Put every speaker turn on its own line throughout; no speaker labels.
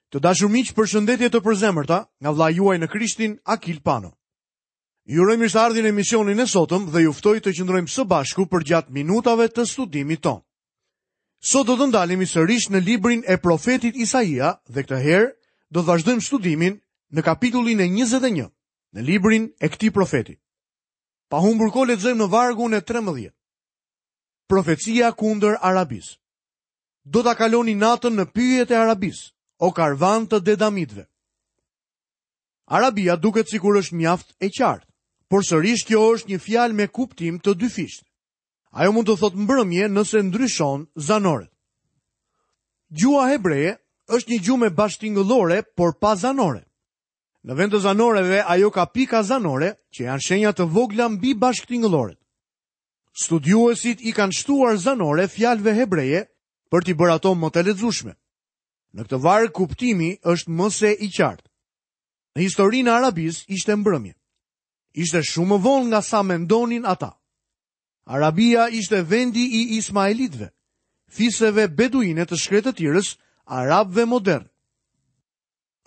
Të dashur miq, përshëndetje të përzemërta nga vëllai juaj në Krishtin, Akil Pano. Ju uroj mirëseardhjen në emisionin e sotëm dhe ju ftoj të qëndrojmë së bashku përgjatë minutave të studimit tonë. Sot do të ndalemi sërish në librin e profetit Isaia dhe këtë herë do të vazhdojmë studimin në kapitullin e 21 në librin e këtij profeti. Pa humbur kohë lexojmë në vargun e 13. Profecia kundër Arabisë. Do ta kaloni natën në pyjet e Arabisë, o karvanë të Dedamitëve. Arabia duket sikur është mjaft e qartë, por sërish kjo është një fjalë me kuptim të dyfishtë. Ajo mund të thotë mbrëmje nëse ndryshon zanoret. Gjuha hebreje është një gjuhë me bashkëtingëllore, por pa zanore. Në vend të zanoreve, ajo ka pika zanore, që janë shenja të vogla mbi bashkëtingëlloret. Studiuesit i kanë shtuar zanore fjalëve hebreje për t'i bërë ato më të lexueshme. Në këtë varg kuptimi është më se i qartë. Në historinë e Arabisë ishte mbrëmje. Ishte shumë më vonë nga sa mendonin ata. Arabia ishte vendi i Ismaelitëve, fiseve beduine të shkretëtirës, arabëve modernë.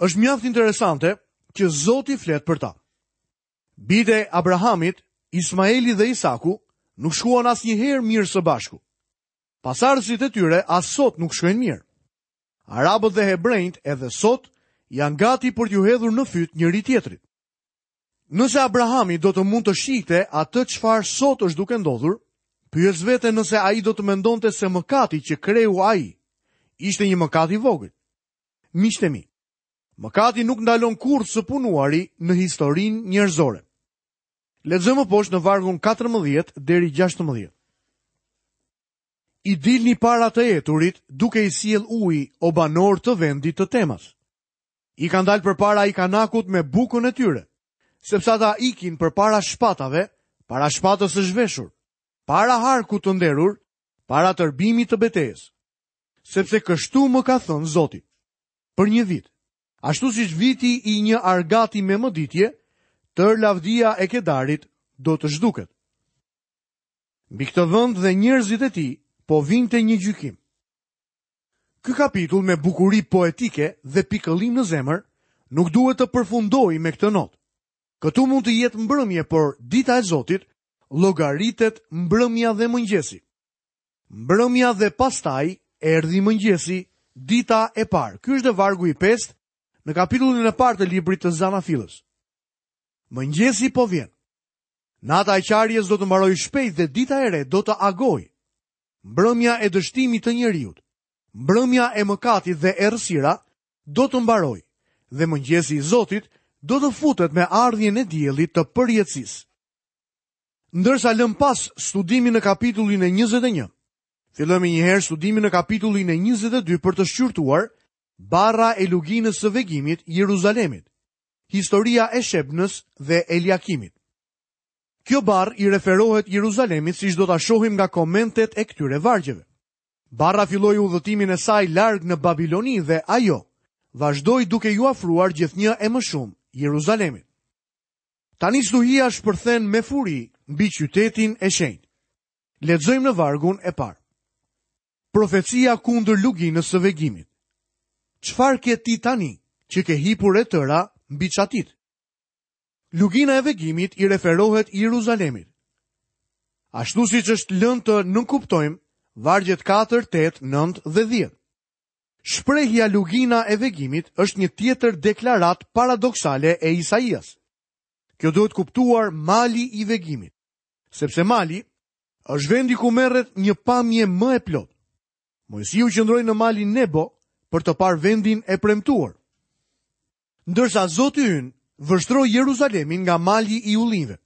Është mjaft interesante që Zoti flet për ta. Bijtë e Abrahamit, Ismaeli dhe Isaku nuk shkuan asnjëherë mirë së bashku. Pasardhësit e tyre as sot nuk shkojnë mirë. Arabët dhe hebrenjtë edhe sot janë gati për t'iu hedhur në fyt njëri-tjetrit. Nëse Abrahami do të mund të shihte atë çfarë sot është duke ndodhur, pyes veten nëse ai do të mendonte se mëkati që kreu ai ishte një mëkat i vogël. Miqtë e mi, mëkati nuk ndalon kurrë së punuari në historinë njerëzore. Lexojmë më poshtë në vargun 14 deri 16. I dilni para të eturit duke i sjellë ujë o banorë të vendit të Temas. I kanë dalë përpara ikanakut me bukën e tyre, sepse ata ikin përpara shpatave, para shpatës së zhveshur, para harkut të nderur, para tërbimit të betejës. Sepse kështu më ka thënë Zoti. Për një vit, Ashtu siç viti i një argati me mëditje, tërë lavdia e Kedarit do të zhduket. Mbi këtë vend dhe njerëzit e tij po vinte një gjykim. Ky kapitull me bukuri poetike dhe pikëllim në zemër nuk duhet të përfundojë me këtë notë. Këtu mund të jetë mbrëmje, por dita e Zotit llogaritet mbrëmja dhe mëngjesi. Mbrëmja dhe pastaj erdhi mëngjesi, dita e parë. Ky është dhe vargu i pestë në kapitullin e parë të librit të Zanafillës. Mëngjesi po vjen. Nata e qarjes do të mbarojë shpejt dhe dita e re do të agojë. Mbrëmja e dështimit të njeriut, mbrëmja e mëkatit dhe errësira do të mbarojë dhe mëngjesi i Zotit do të futet me ardhjen e diellit të përjetësisë. Ndërsa lëmë pas studimin në kapitullin e 21, fillojmë menjëherë studimin në kapitullin e 22 për të shqyrtuar barra e luginës së vegimit Jeruzalemit, historia e Shebnës dhe Eliakimit. Kjo barrë i referohet Jeruzalemit siç do ta shohim nga komentet e këtyre vargjeve. Barra filloi udhëtimin e saj larg në Babiloni dhe ajo vazhdoi duke iu afruar gjithnjë e më shumë Jeruzalemit. Tani stuhia shpërthen me furi mbi qytetin e shenjtë. Lexojmë në vargun e parë. Profecia kundër luginës së vegimit. Çfarë ke ti tani që ke hipur e tëra mbi çatitë? Lugina e vegimit i referohet Jeruzalemit. Ashtu siç është lënë të nënkuptojmë vargjet 4, 8, 9 dhe 10. Shprehja lugina e vegimit është një tjetër deklaratë paradoksale e Isaias. Kjo duhet kuptuar mali i vegimit, sepse mali është vendi ku merret një pamje më e plotë. Moisiu qëndroi në malin Nebo për të parë vendin e premtuar. Ndërsa Zoti ynë vështroi Jeruzalemin nga mali i ullinjve.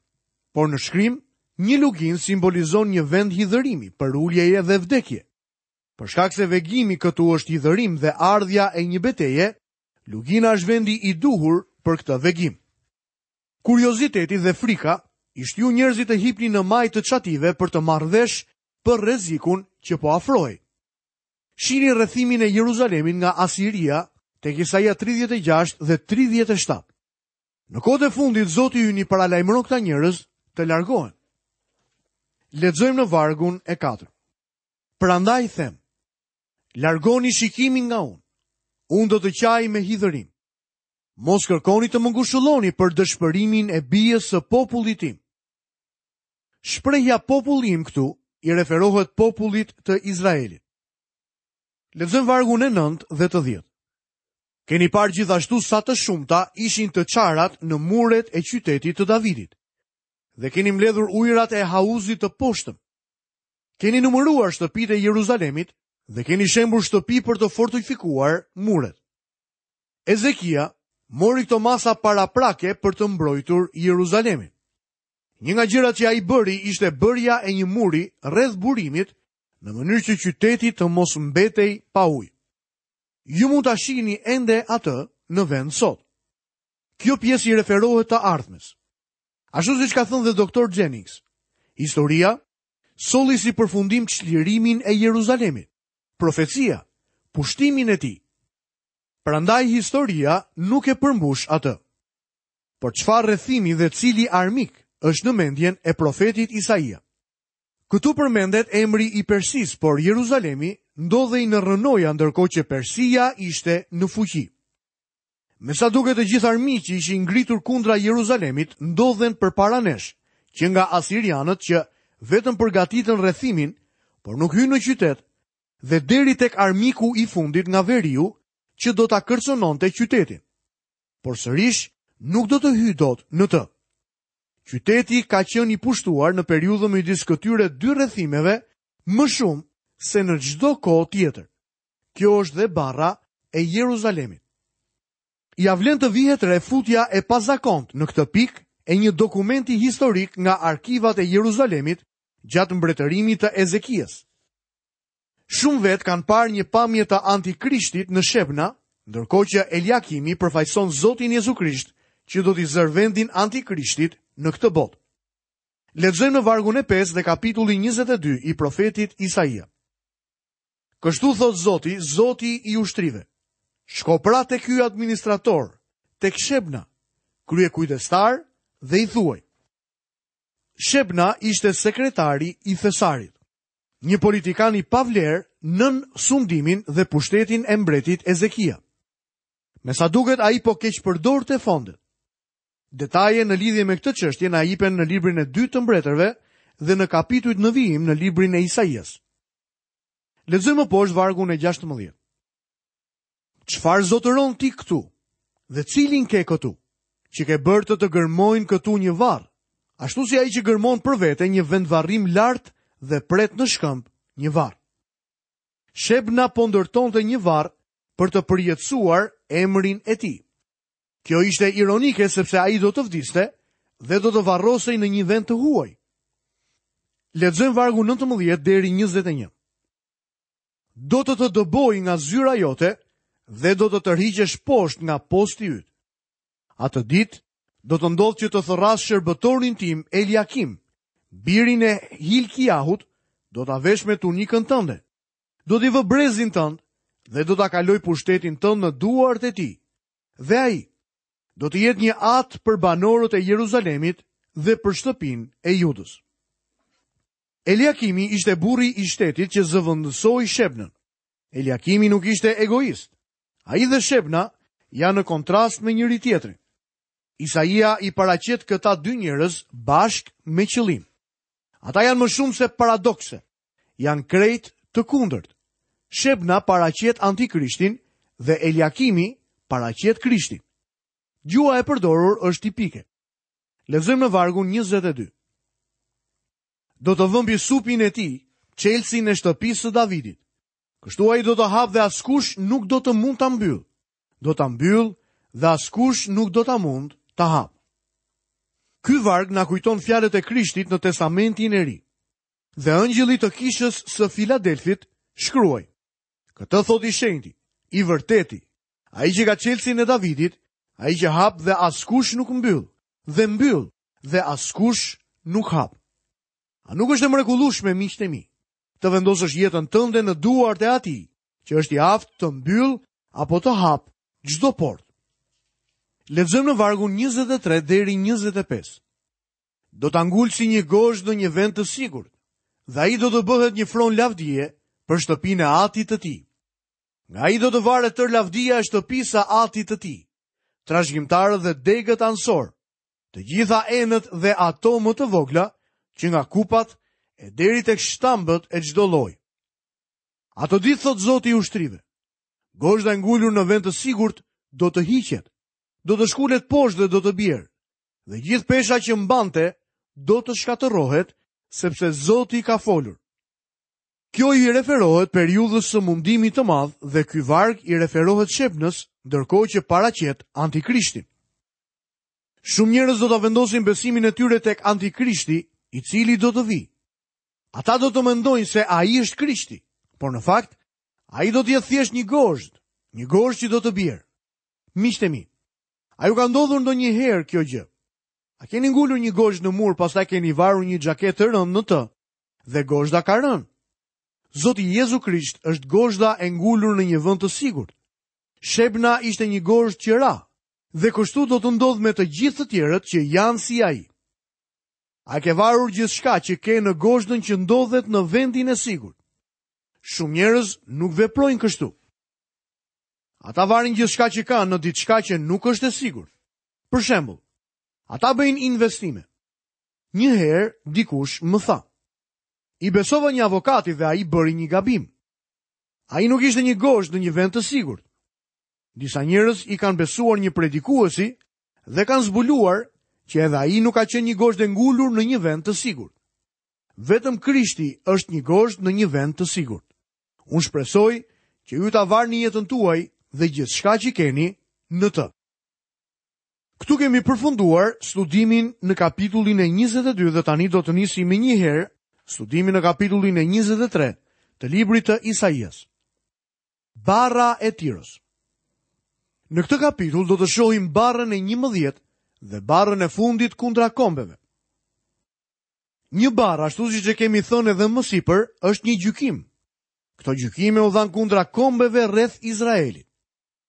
Por në shkrim, një luginë simbolizon një vend hidhërimi, përuljeje dhe vdekje. Për shkak se vegimi këtu është hidhërim dhe ardhja e një beteje, lugina është vendi i duhur për këtë vegim. Kurioziteti dhe frika i shtyu njerëzit të hipnin në majë të çative për të marrë vesh për rrezikun që po afrohej. Shihni rrethimin e Jeruzalemit nga Asiria tek Isaia 36 dhe 37. Në kohët e fundit Zoti ynë i paralajmëron këta njerëz të largohen. Lexojmë në vargun e 4. Prandaj them, largoni shikimin nga unë. Unë do të qaj me hidhërim. Mos kërkoni të më ngushëlloni për dëshpërimin e bijës së popullit tim. Shprehja populli im këtu i referohet popullit të Izraelit. Lexojmë vargun e 9 dhe të 10. Keni parë gjithashtu sa të shumta ishin të çarat në muret e qytetit të Davidit. Dhe keni mbledhur ujërat e hauzit të poshtëm. Keni numëruar shtëpitë e Jeruzalemit dhe keni shembur shtëpi për të fortifikuar muret. Ezekia mori këto masa paraprake për të mbrojtur Jeruzalemin. Një nga gjërat që ai bëri ishte bërja e një muri rreth burimit në mënyrë që qyteti të mos mbetej pa ujë. Ju mund ta shihni ende atë në vend sot. Kjo pjesë i referohet të ardhmes. Ashtu siç ka thënë dhe doktor Jennings, historia solli si përfundim çlirimin e Jeruzalemit, profecia, pushtimin e tij. Prandaj historia nuk e përmbush atë. Por çfarë rrethimi dhe cili armik është në mendjen e profetit Isaia? Këtu përmendet emri i Persisë, por Jeruzalemi ndodhej në rrënoja ndërkohë që Persia ishte në fuqi. Me sa duket të gjithë armiqtë që ishin ngritur kundra Jeruzalemit ndodhen përpara nesh, që nga asirianët që vetëm përgatitën rrethimin, por nuk hynë në qytet, dhe deri tek armiku i fundit nga veriu që do ta kërcënonte qytetin. Por sërish nuk do të hyjë dot në të. Qyteti ka qenë i pushtuar në periudhën midis këtyre dy rrethimeve më shumë se në çdo kohë tjetër. Kjo është dhe barra e Jeruzalemit. Ia vlen të vihet re futja e pazakontë në këtë pikë e një dokumenti historik nga arkivat e Jeruzalemit gjatë mbretërimit të Ezekias. Shumë vetë kanë parë një pamje të antikrishtit në Shebna, ndërkohë që Eliakimi përfaqëson Zotin Jezu Krisht, që do t'i zërë vendin antikrishtit në këtë botë. Lexojmë në vargun e 5 dhe kapitulli 22 i profetit Isaia. Kështu thotë Zoti, Zoti i ushtrive. Shko pra te ky administrator, tek Shebna, kryekujdestar dhe i thuaj. Shebna ishte sekretari i thesarit. Një politikan i pavlerë nën sundimin dhe pushtetin e mbretit Ezekia. Me sa duket ai po keqpërdorte fondet. Detaje në lidhje me këtë çështje na jepen në librin e dytë të mbretërve dhe në kapitujt në vijim në librin e Isaias. Lexojmë më poshtë vargun e 16. Çfarë zotëron ti këtu? Dhe cilin ke këtu? Që ke bërë të të gërmojnë këtu një varr, ashtu si ai që gërmon për vete një vendvarrim lart dhe pret në shkëmb një varr. Shebna po ndërtonte një varr për të përjetësuar emrin e tij. Kjo ishte ironike sepse ai do të vdiste dhe do të varrosej në një vend të huaj. Lexojmë vargun 19 deri 21. Do të të dëboj nga zyra jote dhe do të tërhiqesh poshtë nga posti yt. Atë ditë do të ndodhë që të thërras shërbëtorin tim Eliakim, birin e Hilkiahut, do ta vesh me tunikën tënde. Do t'i vë brezin tënd dhe do ta kaloj pushtetin tënd në duart e tij. Dhe ai do të jetë një atë për banorët e Jeruzalemit dhe për shtëpinë e Judës. Eliakimi ishte burri i shtetit që zëvendësoi Shebnën. Eliakimi nuk ishte egoist. Ai dhe Shebna janë në kontrast me njëri-tjetrin. Isaia i paraqet këta dy njerëz bashkë me qëllim. Ata janë më shumë se paradokse. Janë krejt të kundërt. Shebna paraqet antikrishtin dhe Eliakimi paraqet Krishtin. Gjuha e përdorur është tipike. Lexojmë në vargun 22. Do të vë mbi supin e tij çelësin e shtëpisë së Davidit. Kështu ai do të hapë dhe askush nuk do të mund ta mbyllë. Do ta mbyllë dhe askush nuk do ta mund ta hapë. Ky varg na kujton fjalët e Krishtit në Testamentin e Ri. Dhe engjëllit të kishës së Filadelfit shkruaj. Këtë thotë i shenjti, i vërteti, ai që ka çelësin e Davidit, ai që hap dhe askush nuk mbyll, dhe mbyll dhe askush nuk hap. A nuk është e mrekullueshme miqtë e mi, të vendosësh jetën tënde në duart e atij, që është i aftë të mbyllë apo të hapë çdo portë. Lexojmë në vargun 23 deri 25. Do ta ngul si një gozhdë në një vend të sigurt, dhe ai do të bëhet një fron lavdie për shtëpinë e atit të tij. Nga ai do të varet tërë lavdia e shtëpisë së atit të tij, trashëgimtarët dhe degët anësore, të gjitha enët dhe ato më të vogla, që nga kupat e deri tek shtambët e çdo lloji. Ato ditë thotë Zoti i ushtrive, gozhda e ngulur në vend të sigurt do të hiqet, do të shkulet poshtë dhe do të bjerë, dhe gjithë pesha që mbante do të shkatërrohet, sepse Zoti ka folur. Kjo i referohet periudhës së mundimit të madh dhe ky varg i referohet Shebnës, ndërkohë që paraqet Antikrishtin. Shumë njerëz do ta vendosin besimin e tyre tek Antikrishti, i cili do të vijë. Ata do të mendojnë se ai është Krishti, por në fakt ai do të jetë thjesht një gozhdë, një gozhdë që do të bjerë. Miqtë e mi, a ju ka ndodhur ndonjëherë kjo gjë? A keni ngulur një gozhdë në mur, pastaj keni varur një xhaketë të rëndë në të dhe gozhda ka rënë? Zoti Jezu Krisht është gozhda e ngulur në një vend të sigurt. Shebna ishte një gozhdë që ra, dhe kështu do të ndodhë me të gjithë të tjerët që janë si ai. A ke varur gjithçka që ke në gozhdën që ndodhet në vendin e sigurt? Shumë njerëz nuk veprojnë kështu. Ata varin gjithçka që kanë në diçka që nuk është e sigurt. Për shembull, ata bëjnë investime. Një herë dikush më tha: I besova një avokati dhe ai bëri një gabim. Ai nuk ishte një gozhdë në një vend të sigurt. Disa njerëz i kanë besuar një predikuesi dhe kanë zbuluar që edhe ai nuk ka qenë një gozhdë e ngulur në një vend të sigurt. Vetëm Krishti është një gozhdë në një vend të sigurt. Unë shpresoj që ju ta varni jetën tuaj dhe gjithçka që keni në të. Këtu kemi përfunduar studimin në kapitullin e 22 dhe tani do të nisim menjëherë studimin në kapitullin e 23 të librit të Isaias. Barra e Tiros. Në këtë kapitull do të shohim barrën e 11 dhe barrën e fundit kundra kombeve. Një barrë, ashtu siç e kemi thënë edhe më sipër, është një gjykim. Këto gjykime u dhanë kundra kombeve rreth Izraelit.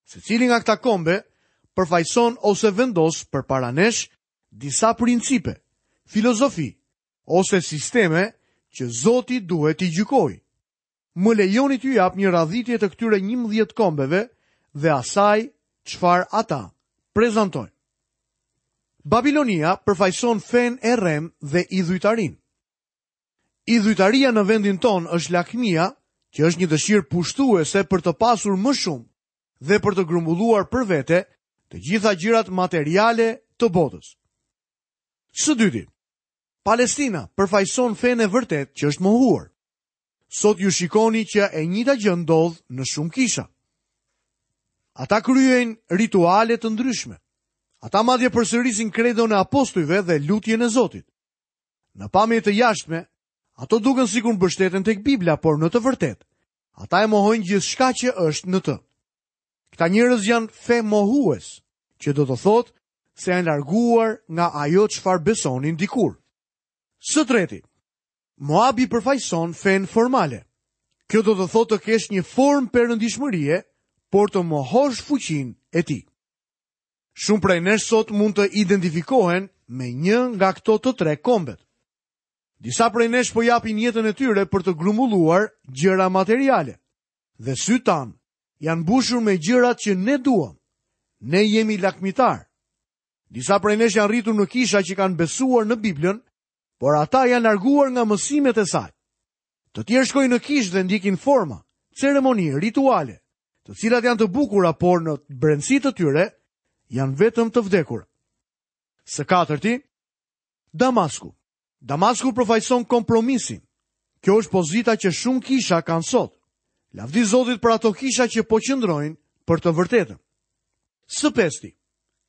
Secili nga këta kombe përfaqëson ose vendos përpara nesh disa principe, filozofi ose sisteme që Zoti duhet t'i gjykojë. Më lejoni t'ju jap një radhitje të këtyre 11 kombeve dhe asaj çfarë ata prezantojnë. Babilonia përfaqëson fenë e rremë dhe idhujtarinë. Idhujtaria në vendin tonë është lakmia, që është një dëshirë pushtuese për të pasur më shumë dhe për të grumbulluar për vete të gjitha gjërat materiale të botës. Së dyti, Palestina përfaqëson fenë e vërtetë që është mohuar. Sot ju shikoni që e njëjta gjë ndodh në shumë kisha. Ata kryejnë rituale të ndryshme. Ata madje përsërisin kredon e apostujve dhe lutjen e Zotit. Në pamje të jashtme, ato duken sikur mbështeten tek Bibla, por në të vërtetë, ata e mohojnë gjithçka që është në të. Këta njerëz janë femohues, që do të thotë se janë larguar nga ajo çfarë besonin dikur. Së treti, Moabi përfaqëson fenë formale. Kjo do të thotë të kesh një formë perëndishmërie, por të mohosh fuqinë e tij. Shumë prej nesh sot mund të identifikohen me një nga këto të tre kombet. Disa prej nesh po japin jetën e tyre për të grumbulluar gjëra materiale. Dhe sytë tanë janë mbushur me gjërat që ne duam. Ne jemi lakmitarë. Disa prej nesh janë rritur në kisha që kanë besuar në Biblën, por ata janë larguar nga mësimet e saj. Të tjerë shkojnë në kishë dhe ndjekin forma, ceremoni, rituale, të cilat janë të bukura, por në brendësi të tyre janë vetëm të vdekura. Së katërti, Damasku. Damasku përfaqëson kompromisin. Kjo është pozita që shumë kisha kanë sot. Lavdi Zotit për ato kisha që po qëndrojnë për të vërtetën. Së pesti,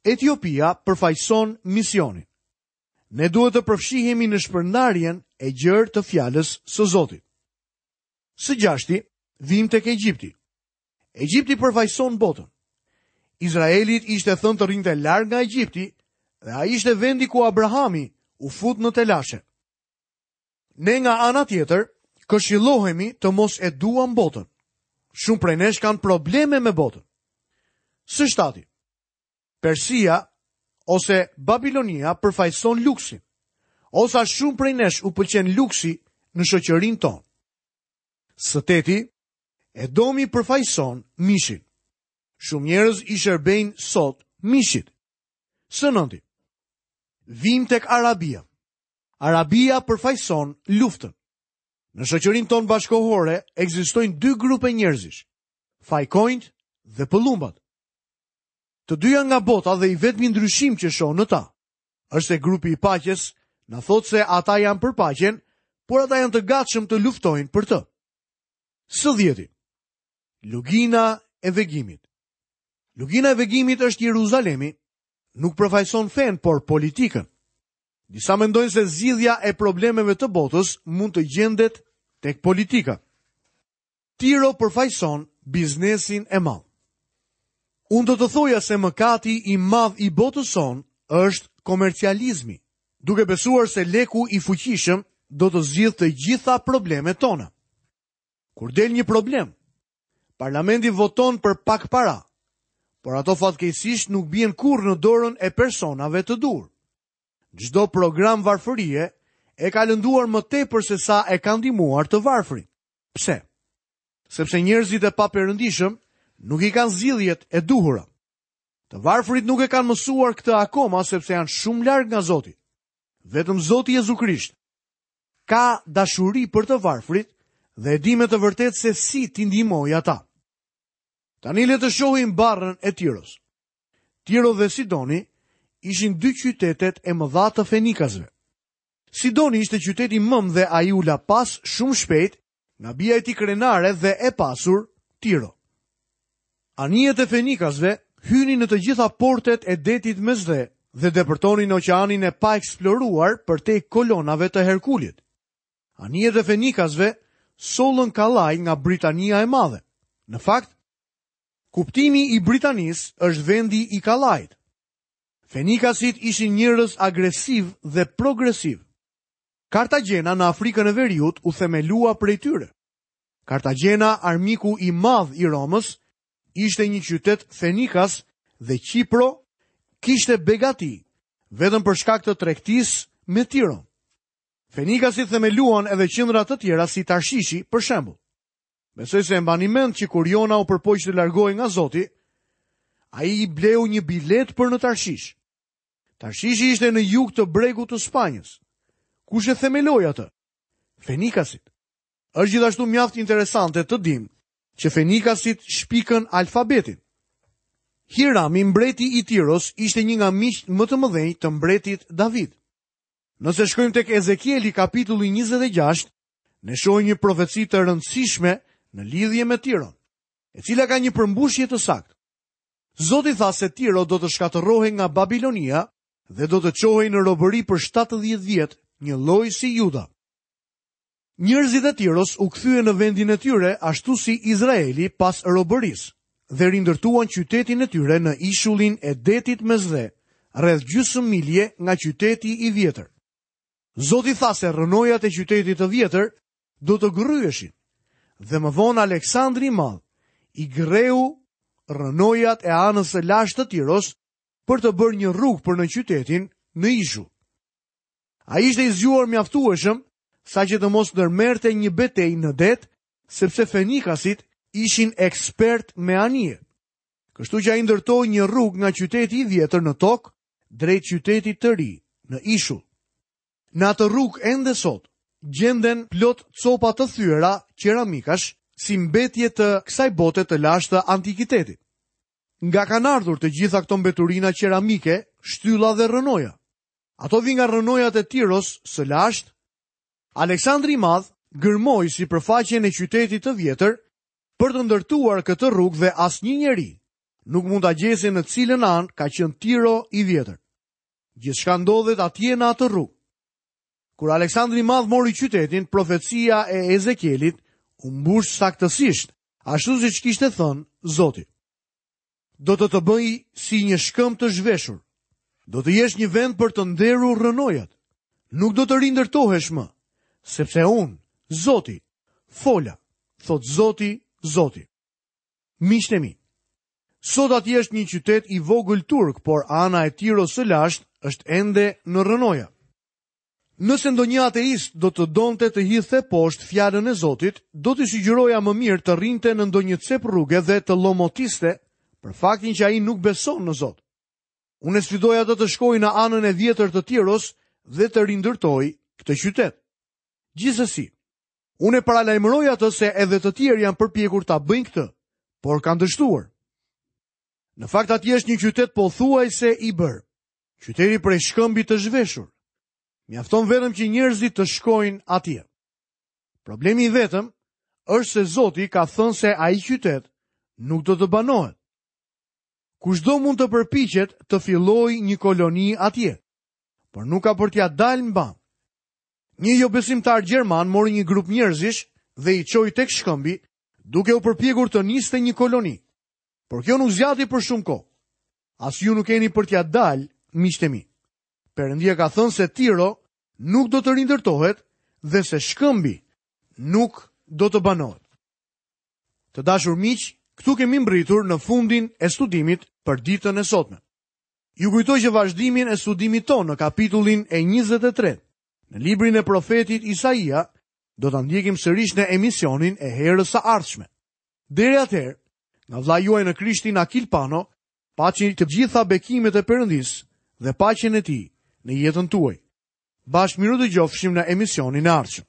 Etiopia përfaqëson misionin. Ne duhet të përfshihemi në shpërndarjen e gjerë të fjalës së Zotit. Së gjashti, vijmë tek Egjipti. Egjipti përfaqëson botën. Izraelit i ishte thënë të rrinte larg nga Egjipti dhe ai ishte vendi ku Abrahami u fut në telashe. Ne nga ana tjetër, këshillohemi të mos e duam botën. Shumë prej nesh kanë probleme me botën. Së shtati, Persia ose Babilonia përfaqëson luksin. O sa shumë prej nesh u pëlqen luksi në shoqërinë tonë. Së teti, Edomi përfaqëson mishin. Shumë njerëz i shërbejnë sot mishit. Së nënti, vijmë tek Arabia. Arabia përfaqëson luftën. Në shoqërinë tonë bashkëkohore ekzistojnë dy grupe njerëzish, fajkonjtë dhe pëllumbat. Të dy janë nga bota dhe i vetmi ndryshim që shoh në ta, është se grupi i paqes na thotë se ata janë për paqen, por ata janë të gatshëm të luftojnë për të. Së dhjeti, Lugina e Vegimit. Lugina e Vegimit është Jeruzalemi, nuk përfaqëson fenë, por politikën. Disa mendojnë se zgjidhja e problemeve të botës mund të gjendet tek politika. Tiro përfaqëson biznesin e madh. Unë do të thoja se mëkati i madh i botës sonë është komercializmi, duke besuar se leku i fuqishëm do të zgjidhë të gjitha problemet tona. Kur del një problem, parlamenti voton për pak para, por ato fatkeqësisht nuk bien kurrë në dorën e personave të duhur. Çdo program varfërie e ka lënduar më tepër se sa e ka ndihmuar të varfrit. Pse? Sepse njerëzit e paperëndishëm nuk i kanë zgjidhjet e duhura. Të varfrit nuk e kanë mësuar këtë akoma sepse janë shumë larg nga Zoti. Vetëm Zoti Jezu Krisht ka dashuri për të varfrit dhe e di me të vërtetë se si t'i ndihmojë ata. Tani le të shohim barrën e Tiros. Tiro dhe Sidoni ishin dy qytetet e mëdha të Fenikasve. Sidoni ishte qyteti mëmë dhe ai u la pas shumë shpejt nga bija e tij krenare dhe e pasur Tiro. Anijet e Fenikasve hynin në të gjitha portet e detit Mesdhe dhe depërtonin në oqeanin e paeksploruar përtej kolonave të Herkulit. Anijet e Fenikasve sollën kallaj nga Britania e Madhe. Në fakt, kuptimi i Britanisë është vendi i kallajit. Fenikasit ishin njerëz agresivë dhe progresivë. Kartagjena në Afrikën e Veriut u themelua prej tyre. Kartagjena, armiku i madh i Romës, ishte një qytet fenikas dhe Qipro kishte begati vetëm për shkak të tregtisë me Tiron. Fenikasit themeluan edhe qendra të tjera si Tarshishi, për shembull. Besoj se e mbani mend që kur Jona u përpoq të largohej nga Zoti, ai i bleu një biletë për në Tarshish. Tarshishi ishte në jug të bregut të Spanjës. Kush e themeloi atë? Fenikasit. Është gjithashtu mjaft interesante të dimë që Fenikasit shpikën alfabetin. Hirami, mbreti i Tiros, ishte një nga miqtë më të mëdhenj të mbretit David. Nëse shkojmë tek Ezekieli kapitulli 26, ne shohim një profeci të rëndësishme në lidhje me Tiron, e cila ka një përmbushje të saktë. Zoti tha se Tiro do të shkatërrohej nga Babilonia dhe do të çohej në robëri për 70 vjet, njëlloj si Juda. Njerëzit e Tiros u kthyen në vendin e tyre ashtu si Izraeli pas robërisë dhe rindërtuan qytetin e tyre në ishullin e detit Mesdhe, rreth gjysmë milje nga qyteti i vjetër. Zoti tha se rrënojat e qytetit të vjetër do të gërryheshin dhe më vonë Aleksandri i Madh i gërreu rrënojat e anës së lashtë të Tiros për të bërë një rrugë për në qytetin në ishull. Ai ishte i zgjuar mjaftueshëm saqë të mos ndërmerrte një betejë në det, sepse fenikasit ishin ekspertë me anije. Kështu që ai ndërtoi një rrugë nga qyteti i vjetër në tokë drejt qytetit të ri në ishull. Në atë rrugë ende sot gjenden plot copa të thyera qeramikash si mbetje të kësaj bote të lashtë të antikitetit. Nga kanë ardhur të gjitha këto mbeturina qeramike, shtylla dhe rrënoja? Ato vijnë nga rrënojat e Tiros së lashtë. Aleksandri i Madh gërmoi sipërfaqen e qytetit të vjetër për të ndërtuar këtë rrugë dhe asnjë njeri nuk mund ta gjejë se në cilën anë ka qenë Tiro i vjetër. Gjithçka ndodhet atje në atë rrugë. Kur Aleksandri i Madh mori qytetin, profecia e Ezekielit u mbush saktësisht, ashtu siç kishte thënë Zoti. Do të të bëj si një shkëmb të zhveshur. Do të jesh një vend për të nderur rrënojat. Nuk do të rindërtohesh më, sepse unë, Zoti, fola, thotë Zoti, Zoti. Miqtë e mi, sot atje është një qytet i vogël turk, por ana e Tiros së lashtë është ende në rrënoja. Nëse ndonjë ateist do të donte të hidhte poshtë fjalën e Zotit, do t'i sugjeroja më mirë të rrinte në ndonjë cep rruge dhe të llomotiste për faktin që ai nuk beson në Zot. Unë e sfidoj atë të shkojë në anën e vjetër të Tiros dhe të rindërtojë këtë qytet. Gjithsesi, unë e paralajmëroj atë se edhe të tjerë janë përpjekur ta bëjnë këtë, por kanë dështuar. Në fakt atje është një qytet pothuajse i bërë. Qyteti prej shkëmbi të zhveshur. Mjafton vetëm që njerëzit të shkojnë atje. Problemi i vetëm është se Zoti ka thënë se ai qytet nuk do të banohet. Kushdo mund të përpiqet të fillojë një koloni atje, por nuk ka për t'ia dalë mbanë. Një jobesimtar gjerman mori një grup njerëzish dhe i çoi tek shkëmbi, duke u përpjekur të niste një koloni. Por kjo nuk zgjati për shumë kohë. As ju nuk keni për t'ia dalë, miqtë e mi. Perëndia ka thënë se Tiro nuk do të rindërtohet dhe se shkëmbi nuk do të banohet. Të dashur miq, këtu kemi mbërritur në fundin e studimit për ditën e sotme. Ju kujtoj që vazhdimin e studimit tonë në kapitullin e 23, në librin e profetit Isaia, do ta ndjekim sërish në emisionin e herës së ardhshme. Deri atëherë, nga vëllai juaj në Krishtin Akil Pano, paçi të gjitha bekimet e Perëndisë dhe paqen e tij në jetën tuaj. Bashkë mirudëgjofshim në emisionin e ardhshëm.